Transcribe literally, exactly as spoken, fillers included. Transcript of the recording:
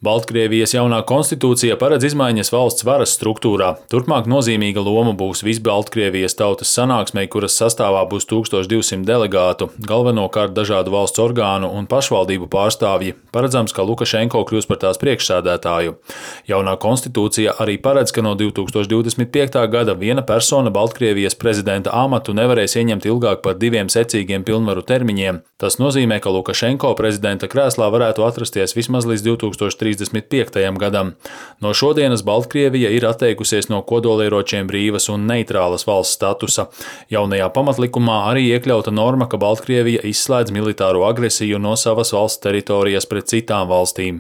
Baltkrievijas jaunā konstitūcija paredz izmaiņas valsts varas struktūrā. Turpmāk nozīmīga loma būs Visbaltkrievijas tautas sanāksmei, kuras sastāvā būs tūkstoš divsimt delegātu, galvenokārt dažādu valsts orgānu un pašvaldību pārstāvji. Paredzams, ka Lukašenko kļūs par tās priekšsēdētāju. Jaunā konstitūcija arī paredz, ka no divi tūkstoši divdesmit piektā gada viena persona Baltkrievijas prezidenta amatu nevarēs ieņemt ilgāk par diviem secīgiem pilnvaru termiņiem. Tas nozīmē, ka Lukašenko prezidenta krēslā varētu atrasties vismaz līdz divi tūkstoši trīsdesmit piektajam gadam. No šodienas Baltkrievija ir atteikusies no kodolieročiem brīvas un neitrālas valsts statusa. Jaunajā pamatlikumā arī iekļauta norma, ka Baltkrievija izslēdz militāro agresiju no savas valsts teritorijas pret citām valstīm.